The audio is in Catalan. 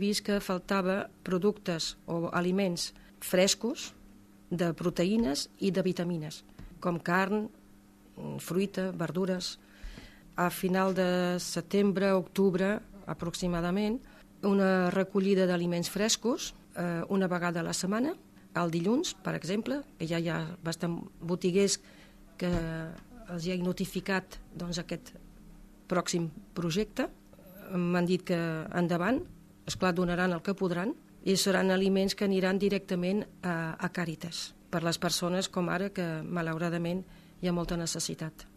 vist que faltava productes o aliments frescos de proteïnes i de vitamines, com carn, fruita, verdures. A final de setembre, octubre, aproximadament, una recollida d'aliments frescos una vegada a la setmana, el dilluns, per exemple, que ja hi ha bastant botiguers que els hi ha notificat aquest pròxim projecte. M'han dit que endavant, esclar, donaran el que podran, i seran aliments que aniran directament a Càritas, per les persones com ara que, malauradament, hi ha molta necessitat.